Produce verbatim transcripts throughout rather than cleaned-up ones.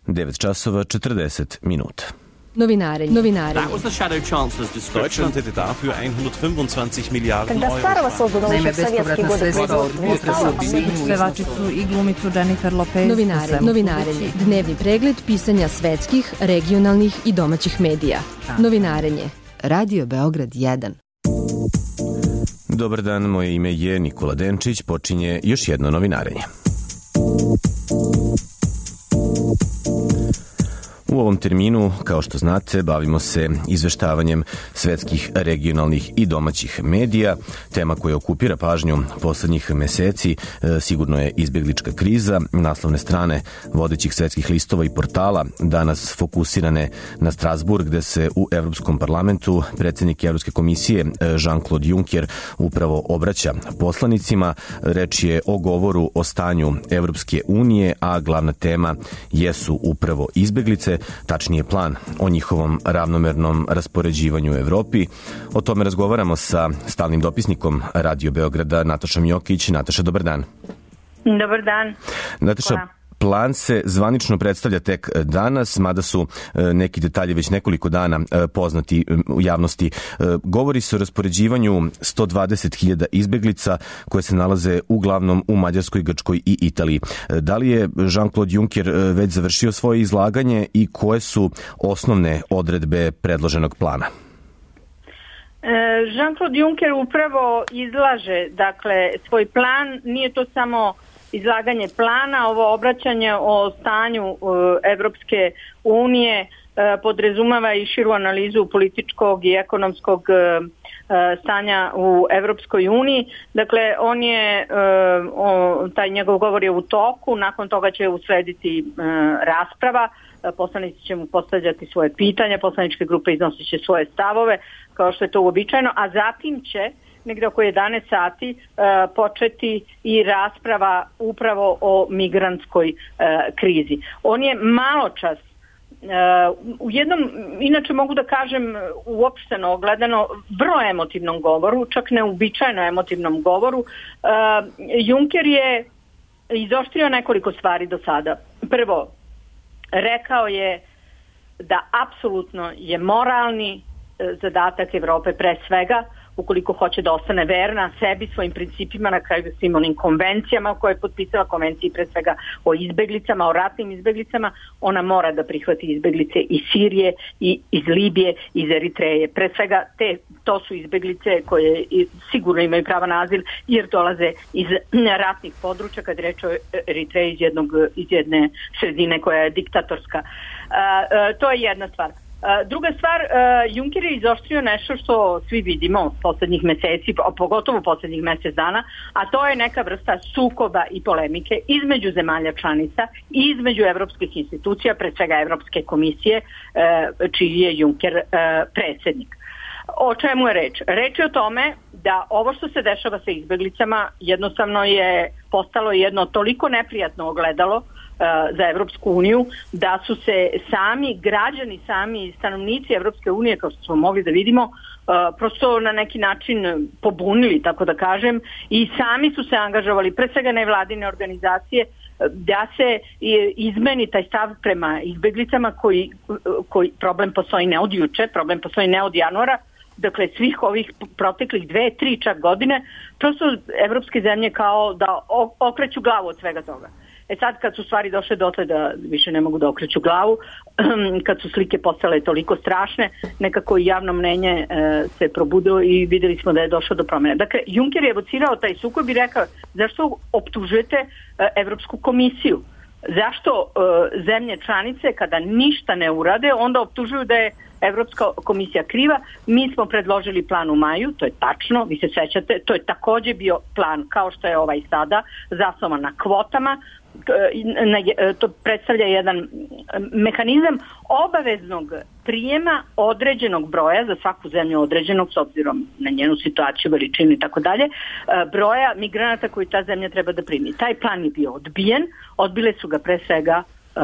devet časova četrdeset minuta. Novinarenje. Novinarenje. Deutschland hätte dafür hundertfünfundzwanzig Miliarden Когда старого создано еще в советские годы Pevačicu i glumicu Jennifer Lopez. Novinarenje. Novinarenje. Dnevni pregled pisanja svetskih, regionalnih i domaćih medija. Novinarenje. Radio Beograd jedan. Dobar dan, moje ime je Nikola Denčić, počinje još jedno novinarenje. U ovom terminu, kao što znate, bavimo se izveštavanjem svetskih, regionalnih i domaćih medija. Tema koja okupira pažnju poslednjih meseci sigurno je izbeglička kriza. Naslovne strane vodećih svetskih listova i portala danas fokusirane na Strasburg, gde se u Evropskom parlamentu predsednik Evropske komisije Jean-Claude Juncker upravo obraća poslanicima. Reč je o govoru o stanju Evropske unije, a glavna tema jesu upravo izbeglice, tačnije plan o njihovom ravnomernom raspoređivanju u Evropi. O tome razgovaramo sa stalnim dopisnikom Radio Beograda Natašom Jokić. Nataša, dobar dan. Dobar dan. Nataša, Hvala. Plan se zvanično predstavlja tek danas, mada su neki detalji već nekoliko dana poznati u javnosti. Govori se o raspoređivanju sto dvadeset hiljada izbeglica koje se nalaze uglavnom u Mađarskoj, Grčkoj i Italiji. Da li je Jean-Claude Juncker već završio svoje izlaganje i koje su osnovne odredbe predloženog plana? Jean-Claude Juncker upravo izlaže, dakle, svoj plan. Nije to samo izlaganje plana, ovo obraćanje o stanju Evropske unije podrazumeva i širu analizu političkog i ekonomskog stanja u Evropskoj uniji. Dakle, on je, taj njegov govor je u toku, nakon toga će uslediti rasprava, poslanici će mu postavljati svoje pitanja, poslaničke grupe iznosit će svoje stavove, kao što je to uobičajeno, a zatim će negde oko jedanaest sati uh, početi i rasprava upravo o migrantskoj uh, krizi. On je malo čas uh, u jednom, inače mogu da kažem uopšteno ogledano, vrlo emotivnom govoru, čak neuobičajeno emotivnom govoru, uh, Juncker je izoštrio nekoliko stvari do sada. Prvo, rekao je da apsolutno je moralni uh, zadatak Evrope pre svega, ukoliko hoće da ostane verna sebi, svojim principima, na kraju svim onim konvencijama koje je potpisala, konvenciji pre svega o izbeglicama, o ratnim izbeglicama, ona mora da prihvati izbeglice iz Sirije, i iz Libije, iz Eritreje. Pre svega te, to su izbeglice koje sigurno imaju prava na azil jer dolaze iz ratnih područja, kad reče o Eritreji iz, jednog, iz jedne sredine koja je diktatorska. A, a, to je jedna stvar. Druga stvar, Juncker je izoštrio nešto što svi vidimo poslednjih meseci, pogotovo poslednjih mesec dana, a to je neka vrsta sukoba i polemike između zemalja članica i između evropskih institucija, pre svega Evropske komisije, čiji je Juncker predsednik. O čemu je reč? Reč je o tome da ovo što se dešava sa izbeglicama jednostavno je postalo jedno toliko neprijatno ogledalo za Evropsku uniju, da su se sami građani, sami stanovnici Evropske unije, kao što smo mogli da vidimo, prosto na neki način pobunili, tako da kažem, i sami su se angažovali, pre svega nevladine organizacije, da se izmeni taj stav prema izbeglicama koji, koji problem postoji ne od juče, problem postoji ne od januara, dakle svih ovih proteklih dve, tri čak godine, prosto evropske zemlje kao da okreću glavu od svega toga. E sad kad su stvari došle dotle da više ne mogu da okreću glavu, kad su slike postale toliko strašne, nekako i javno mnenje e, se probudilo i videli smo da je došlo do promjene. Dakle, Juncker je evocirao taj sukob i rekao zašto optužujete e, Evropsku komisiju? Zašto e, zemlje članice kada ništa ne urade, onda optužuju da je Evropska komisija kriva? Mi smo predložili plan u maju, to je tačno, vi se sećate, to je takođe bio plan kao što je ovaj sada, zasnovan na kvotama. To predstavlja jedan mehanizam obaveznog prijema određenog broja, za svaku zemlju određenog s obzirom na njenu situaciju, veličinu i tako dalje, broja migranata koji ta zemlja treba da primi. Taj plan je bio odbijen, odbile su ga pre svega uh,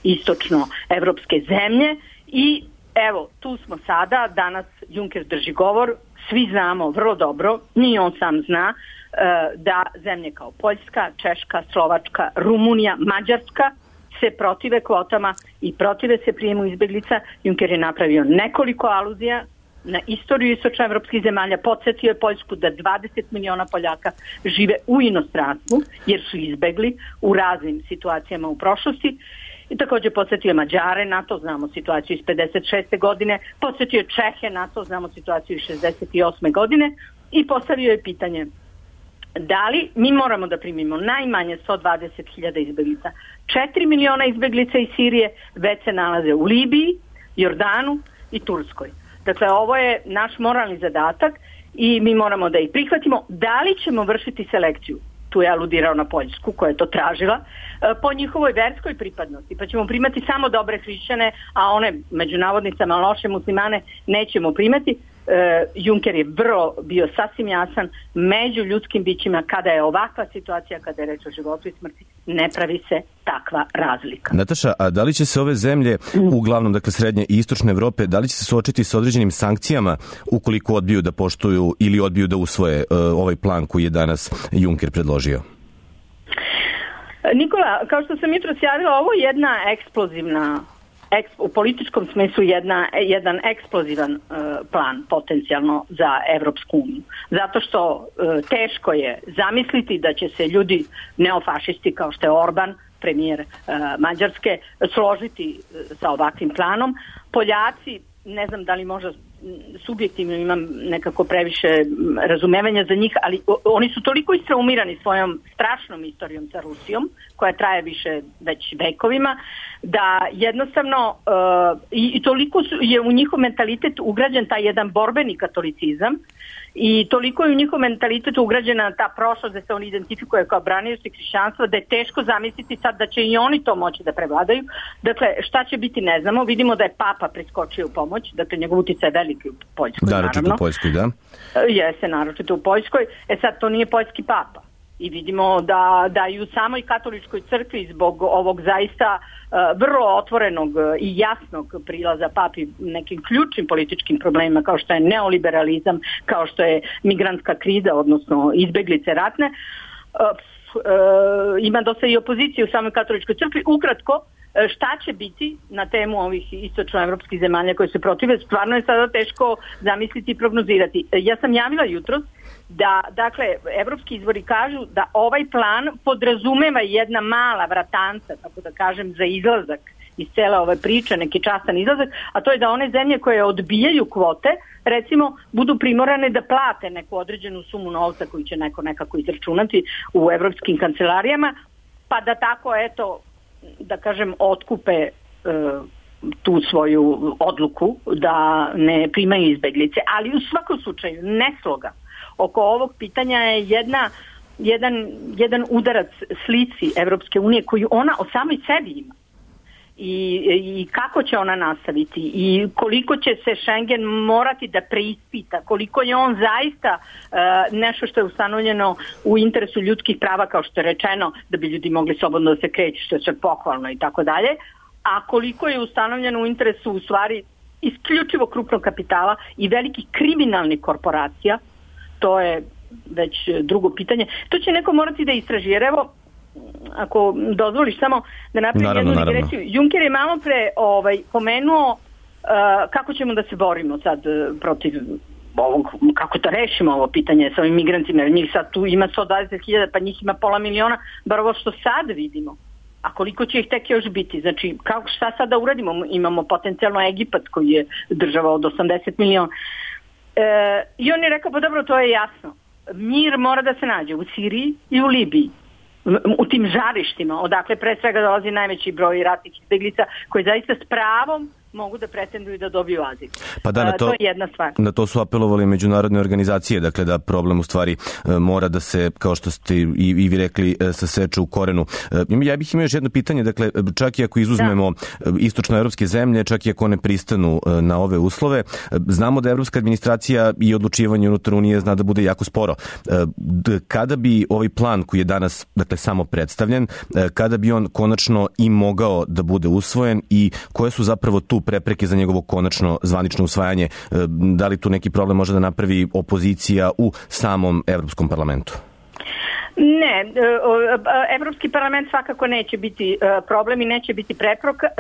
istočno evropske zemlje i evo, tu smo sada, danas Juncker drži govor, svi znamo vrlo dobro, ni on sam zna, da zemlje kao Poljska, Češka, Slovačka, Rumunija, Mađarska se protive kvotama i protive se prijemu izbeglica. Juncker je napravio nekoliko aluzija na istoriju istočnoevropskih zemalja, podsjetio je Poljsku da dvadeset miliona Poljaka žive u inostranstvu jer su izbegli u raznim situacijama u prošlosti. I također podsjetio Mađare na to, znamo situaciju iz pedeset šeste godine, podsjetio Čehe na to, znamo situaciju iz šezdeset osme godine i postavio je pitanje da li mi moramo da primimo najmanje sto dvadeset hiljada izbeglica. četiri miliona izbeglica iz Sirije već se nalaze u Libiji, Jordanu i Turskoj. Dakle, ovo je naš moralni zadatak i mi moramo da ih prihvatimo. Da li ćemo vršiti selekciju? Tu je aludirao na Poljsku koja je to tražila, po njihovoj verskoj pripadnosti. Pa ćemo primati samo dobre hrišćane, a one među navodnicama loše muslimane nećemo primati. Juncker je vrlo bio sasvim jasan, među ljudskim bićima kada je ovakva situacija, kada je reč o životu i smrti, ne pravi se takva razlika. Nataša, a da li će se ove zemlje, uglavnom dakle srednje i istočne Evrope, da li će se suočiti sa određenim sankcijama ukoliko odbiju da poštuju ili odbiju da usvoje uh, ovaj plan koji je danas Juncker predložio? Nikola, kao što sam jutros javila, ovo je jedna eksplozivna u političkom smislu jedna, jedan eksplozivan uh, plan potencijalno za Evropsku uniju. Zato što uh, teško je zamisliti da će se ljudi neofašisti kao što je Orban, premijer uh, Mađarske, složiti uh, sa ovakvim planom. Poljaci, ne znam da li možda subjektivno imam nekako previše razumevanja za njih, ali oni su toliko istraumirani svojom strašnom istorijom sa Rusijom, koja traje više već vekovima, da jednostavno uh, i, i toliko su, je u njihov mentalitet ugrađen taj jedan borbeni katolicizam i toliko je u njihov mentalitet ugrađena ta prošlost da se oni identifikuje kao branioci hrišćanstva, da je teško zamisliti sad da će i oni to moći da prevladaju. Dakle, šta će biti ne znamo. Vidimo da je Papa priskočio u pomoć, dakle njegov uticaj je veliki u Poljskoj, da, naravno. Naročito u Poljskoj, da. Jeste, naročito u Poljskoj. E sad, to nije poljski Papa. I vidimo da, da i u samoj katoličkoj crkvi zbog ovog zaista uh, vrlo otvorenog i jasnog prilaza papi nekim ključnim političkim problemima kao što je neoliberalizam, kao što je migrantska kriza, odnosno izbeglice ratne, uh, uh, ima dosta i opozicije u samoj katoličkoj crkvi. Ukratko, šta će biti na temu ovih istočnoevropskih zemalja koje se protive, stvarno je sada teško zamisliti i prognozirati. Ja sam javila jutros da, dakle, evropski izvori kažu da ovaj plan podrazumeva jedna mala vratanca, tako da kažem, za izlazak iz cele ove priče, neki častan izlazak, a to je da one zemlje koje odbijaju kvote, recimo, budu primorane da plate neku određenu sumu novca koju će neko nekako izračunati u evropskim kancelarijama, pa da tako, eto, da kažem, otkupe e, tu svoju odluku da ne primaju izbeglice. Ali u svakom slučaju nesloga oko ovog pitanja je jedna, jedan, jedan udarac slici Evropske unije koju ona o samoj sebi ima. I, i kako će ona nastaviti i koliko će se Schengen morati da preispita, koliko je on zaista uh, nešto što je ustanovljeno u interesu ljudskih prava, kao što je rečeno, da bi ljudi mogli slobodno da se kreću, što je sve pohvalno i tako dalje, a koliko je ustanovljeno u interesu u stvari isključivo krupnog kapitala i velikih kriminalnih korporacija, to je već drugo pitanje. To će neko morati da istraži, jer evo, ako dozvoliš samo da napravim naravno, jednu digresiju. Juncker je malo pre ovaj, pomenuo uh, kako ćemo da se borimo sad uh, protiv ovog, kako da rešimo ovo pitanje sa ovim migrantima, jer njih sad tu ima sto dvadeset hiljada, pa njih ima pola miliona, bar ovo što sad vidimo. A koliko će ih tek još biti? Znači, kako, šta sad da uradimo? Imamo potencijalno Egipat koji je država od osamdeset miliona. E, I on je rekao, pa dobro, to je jasno. Mir mora da se nađe u Siriji i u Libiji. U tim žarištima, odakle pre svega dolazi najveći broj ratnih izbeglica koji zaista s pravom mogu da pretenduju da dobiju azil. Pa da, na to, to je jedna stvar. Na to su apelovali međunarodne organizacije, dakle da problem u stvari mora da se, kao što ste i, i vi rekli, saseče u korenu. Ja bih imao još jedno pitanje, dakle čak i ako izuzmemo da. istočnoevropske zemlje, čak i ako one pristanu na ove uslove, znamo da evropska administracija i odlučivanje unutar Unije zna da bude jako sporo. Kada bi ovaj plan koji je danas, dakle, samo predstavljen, kada bi on konačno i mogao da bude usvojen i koje su zapravo tu prepreke za njegovo konačno zvanično usvajanje? Da li tu neki problem može da napravi opozicija u samom Evropskom parlamentu? Ne, Evropski parlament svakako neće biti problem i neće biti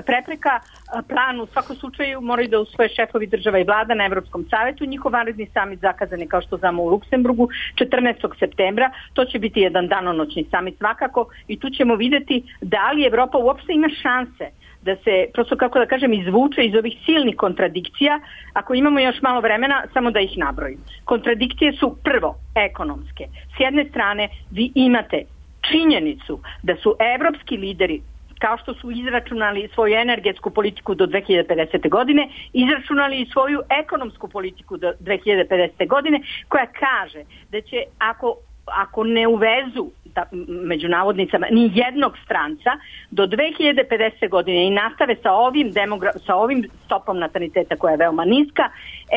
prepreka. Plan u svakom slučaju moraju da usvoje šefovi država i vlada na Evropskom savetu. Njihov vanredni samit zakazan je, kao što znamo, u Luksemburgu četrnaestog septembra. To će biti jedan danonoćni samit svakako i tu ćemo vidjeti da li Evropa uopšte ima šanse da se, prosto kako da kažem, izvuče iz ovih silnih kontradikcija. Ako imamo još malo vremena, samo da ih nabrojim. Kontradikcije su prvo ekonomske. S jedne strane vi imate činjenicu da su evropski lideri, kao što su izračunali svoju energetsku politiku do dve hiljade pedesete. godine, izračunali i svoju ekonomsku politiku do dve hiljade pedesete. godine, koja kaže da će, ako, ako ne uvezu da, među navodnicama ni jednog stranca do dve hiljade pedesete. godine i nastave sa ovim, demogra- sa ovim stopom nataliteta koja je veoma niska,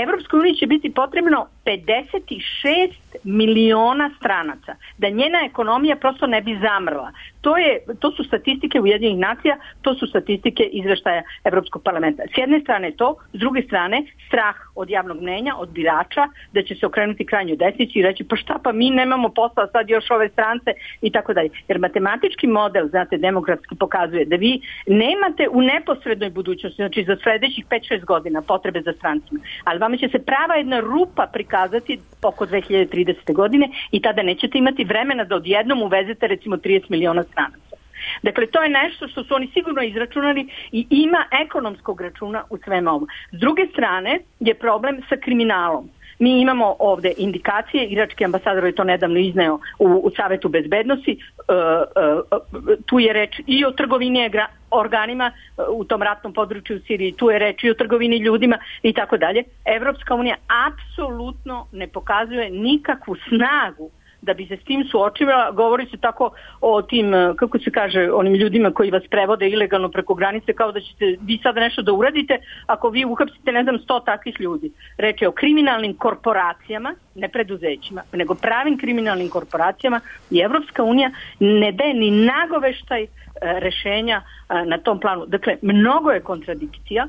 Evropskoj uniji će biti potrebno pedeset šest miliona stranaca, da njena ekonomija prosto ne bi zamrla. To, je, to su statistike Ujedinjenih nacija, to su statistike izveštaja Evropskog parlamenta. S jedne strane to, s druge strane strah od javnog mnenja, od birača, da će se okrenuti krajnjoj desnici i reći pa šta, pa mi nemamo posla, sad još ove strance i tako dalje. Jer matematički model, znate, demografski pokazuje da vi nemate u neposrednoj budućnosti, znači za sledećih pet šest godina potrebe za strancima, ali vama će se prava jedna rupa prikazati oko dve hiljade tridesete. godine i tada nećete imati vremena da odjednom uvezete recimo trideset miliona stranaca. Dakle, to je nešto što su oni sigurno izračunali i ima ekonomskog računa u svema ovom. S druge strane je problem sa kriminalom. Mi imamo ovde indikacije, irački ambasador je to nedavno izneo u, u Savetu bezbednosti, e, e, tu je reč i o trgovini organima u tom ratnom području u Siriji, tu je reč i o trgovini ljudima i tako dalje. Evropska unija apsolutno ne pokazuje nikakvu snagu da bi se s tim suočila. Govori se tako o tim, kako se kaže, onim ljudima koji vas prevode ilegalno preko granice, kao da ćete vi sada nešto da uradite ako vi uhapsite, ne znam, sto takvih ljudi. Reč je o kriminalnim korporacijama, ne preduzećima, nego pravim kriminalnim korporacijama i Evropska unija ne daje ni nagoveštaj rešenja na tom planu. Dakle, mnogo je kontradikcija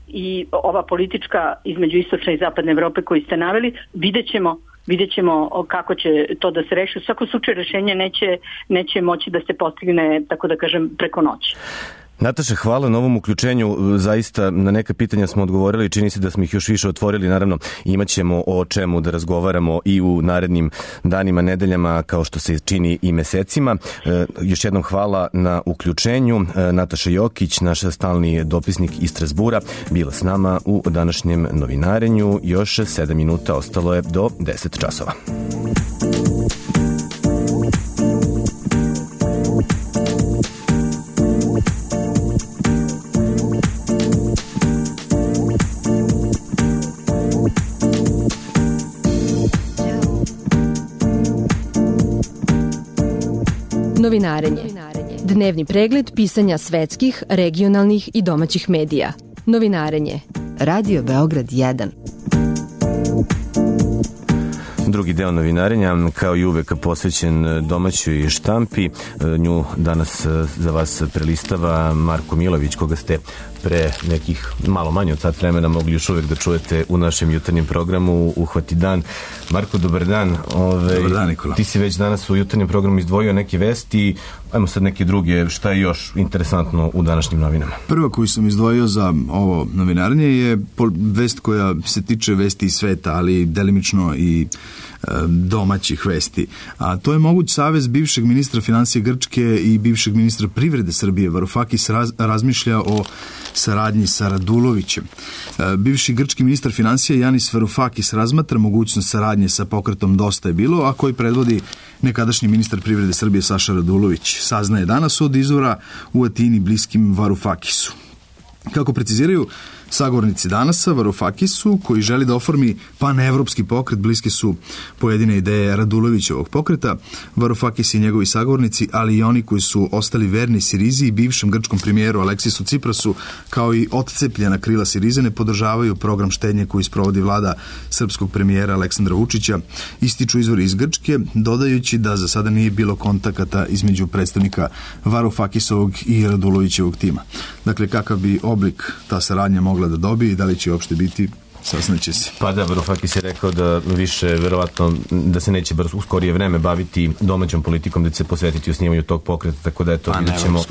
i ova politička između istočne i zapadne Evrope koju ste naveli, vidjet ćemo Vidjet ćemo kako će to da se reši. U svakom slučaju rešenje neće, neće moći da se postigne, tako da kažem, preko noći. Nataša, hvala na ovom uključenju. Zaista na neka pitanja smo odgovorili, čini se da smo ih još više otvorili. Naravno, imat ćemo o čemu da razgovaramo i u narednim danima, nedeljama, kao što se čini i mesecima. E, još jednom hvala na uključenju. E, Nataša Jokić, naša stalni dopisnik iz Strasbura, bila s nama u današnjem novinarenju. Još sedam minuta ostalo je do deset časova. Novinarenje. Dnevni pregled pisanja svetskih, regionalnih i domaćih medija. Novinarenje. Radio Beograd jedan. Drugi deo novinarenja, kao i uvek, posvećen domaćoj štampi. Nju danas za vas prelistava Marko Milović, koga ste pre nekih malo manje od sat vremena mogli još uvek da čujete u našem jutarnjem programu Uhvati dan. Marko, dobar dan. Ove, dobar dan, Nikola. Ti si već danas u jutarnjem programu izdvojio neke vesti. Ajmo sad neke druge. Šta je još interesantno u današnjim novinama? Prva koju sam izdvojio za ovo novinarnje je vest koja se tiče vesti iz sveta, ali delimično i domaćih vesti. A to je moguć savez bivšeg ministra finansije Grčke i bivšeg ministra privrede Srbije. Varoufakis raz, razmišlja o saradnji sa Radulovićem. Bivši grčki ministar finansija Janis Varoufakis razmatra mogućnost saradnje sa pokretom Dosta je bilo, a koji predvodi nekadašnji ministar privrede Srbije Saša Radulović. Saznaje danas od izvora u Atini bliskim Varoufakisu. Kako preciziraju sagovornici Danasa, Varoufakisu, koji želi da oformi panevropski pokret, bliske su pojedine ideje Radulovićevog pokreta. Varoufakis i njegovi sagovornici, ali i oni koji su ostali verni Sirizi i bivšem grčkom premijeru Aleksisu Ciprasu, kao i otcepljena krila Sirize, ne podržavaju program štednje koji sprovodi vlada srpskog premijera Aleksandra Vučića, ističu izvori iz Grčke, dodajući da za sada nije bilo kontakata između predstavnika Varoufakisovog i Radulovićevog tima. Dakle, kakav bi oblik ta saradnja mogla da dobije i da li će uopšte biti, saznaće se. Pa da, Varoufakis je rekao da više, verovatno, da se neće brzo u skorije vreme baviti domaćom politikom, da će se posvetiti osnivanju tog pokreta, tako da eto, pa, vidjet ćemo,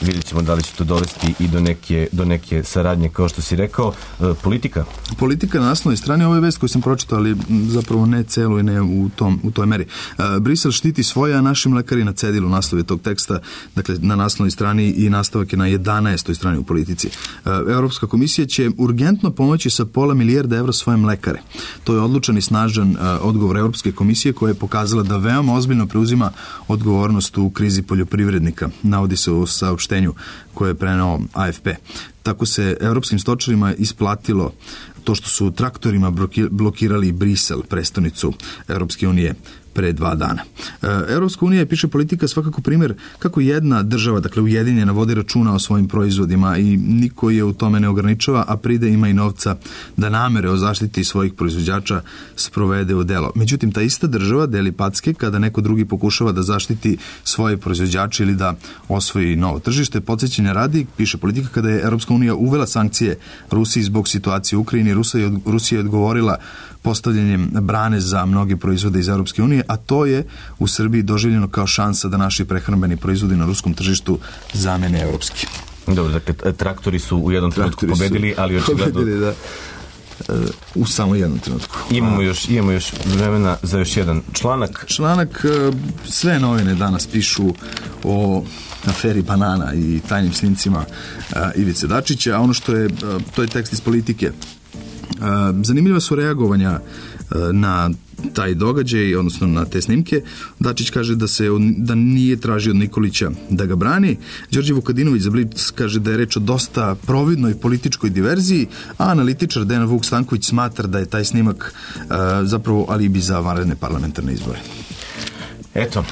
vidjet ćemo da li će to dovesti i do neke, do neke saradnje, kao što si rekao. E, politika? Politika na naslovnoj strani, ovo je vest koju sam pročitao, ali zapravo ne celu i ne u, tom, u toj meri. E, Brisel štiti svoje, a našim lekari na cedilu naslovi tog teksta, dakle na naslovnoj strani i nastavak je na jedanaestoj strani u Politici. E, Evropska komisija će urgentno pomoći sa pola milijarda evra svojim lekare. To je odlučan i snažan uh, odgovor Evropske komisije koja je pokazala da veoma ozbiljno preuzima odgovornost u krizi poljoprivrednika. Navodi se u saopštenju koje je preneo A F P. Tako se evropskim stočarima isplatilo to što su traktorima blokirali Brisel, prestonicu Evropske unije, pre dva dana. Evropska unija, piše Politika, svakako primjer kako jedna država, dakle ujedinjena, vodi računa o svojim proizvodima i niko je u tome ne ograničava, a pride ima i novca da namere o zaštiti svojih proizvođača sprovede u delo. Međutim, ta ista država deli packe kada neko drugi pokušava da zaštiti svoje proizvođače ili da osvoji novo tržište. Podsjećanja radi, piše Politika, kada je Evropska unija uvela sankcije Rusiji zbog situacije u Ukrajini, Rusija je odgovorila postavljanjem brane za mnoge proizvode iz Europske unije, a to je u Srbiji doživljeno kao šansa da naši prehrambeni proizvodi na ruskom tržištu zamene evropski. Dobro, dakle, traktori su u jednom trenutku pobedili, ali očigledno... Pobedili, da. U samo jednom trenutku. Imamo još, imamo još vremena za još jedan članak. Članak, sve novine danas pišu o aferi banana i tajnim snimcima Ivice Dačića, a ono što je, to je tekst iz Politike. Zanimljiva su reagovanja na taj događaj, odnosno na te snimke. Dačić kaže da se da nije tražio od Nikolića da ga brani. Đorđe Vukadinović za Blic kaže da je reč o dosta providnoj političkoj diverziji, a analitičar Dejan Vuk Stanković smatra da je taj snimak zapravo alibi za vanredne parlamentarne izbore. Eto,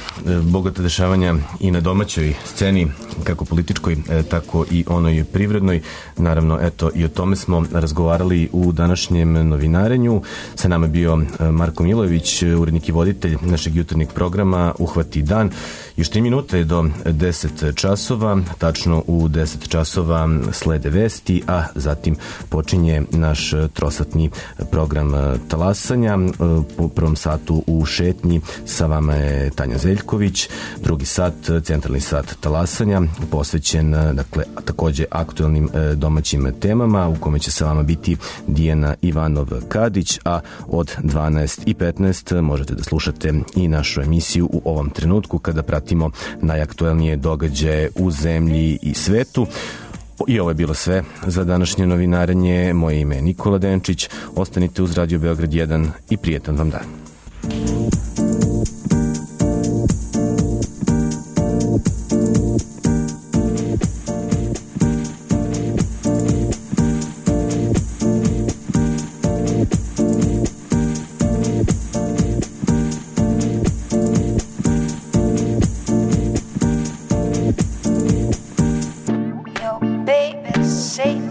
bogata dešavanja i na domaćoj sceni, kako političkoj, tako i onoj privrednoj. Naravno, eto, i o tome smo razgovarali u današnjem novinarenju. Sa nama je bio Marko Milojević, urednik i voditelj našeg jutarnjeg programa Uhvati dan. Još tri minute do deset časova, tačno u deset časova slede vesti, a zatim počinje naš trosatni program talasanja. Po prvom satu u šetnji sa vama je Tanja Zeljković, drugi sat, centralni sat talasanja, posvećen, dakle, takođe aktuelnim domaćim temama, u kome će sa vama biti Dijana Ivanov-Kadić, a od dvanaest i petnaest možete da slušate i našu emisiju U ovom trenutku, kada pratimo najaktuelnije događaje u zemlji i svetu. I ovo je bilo sve za današnje novinarenje. Moje ime je Nikola Denčić. Ostanite uz Radio Beograd jedan i prijetan vam dan. Say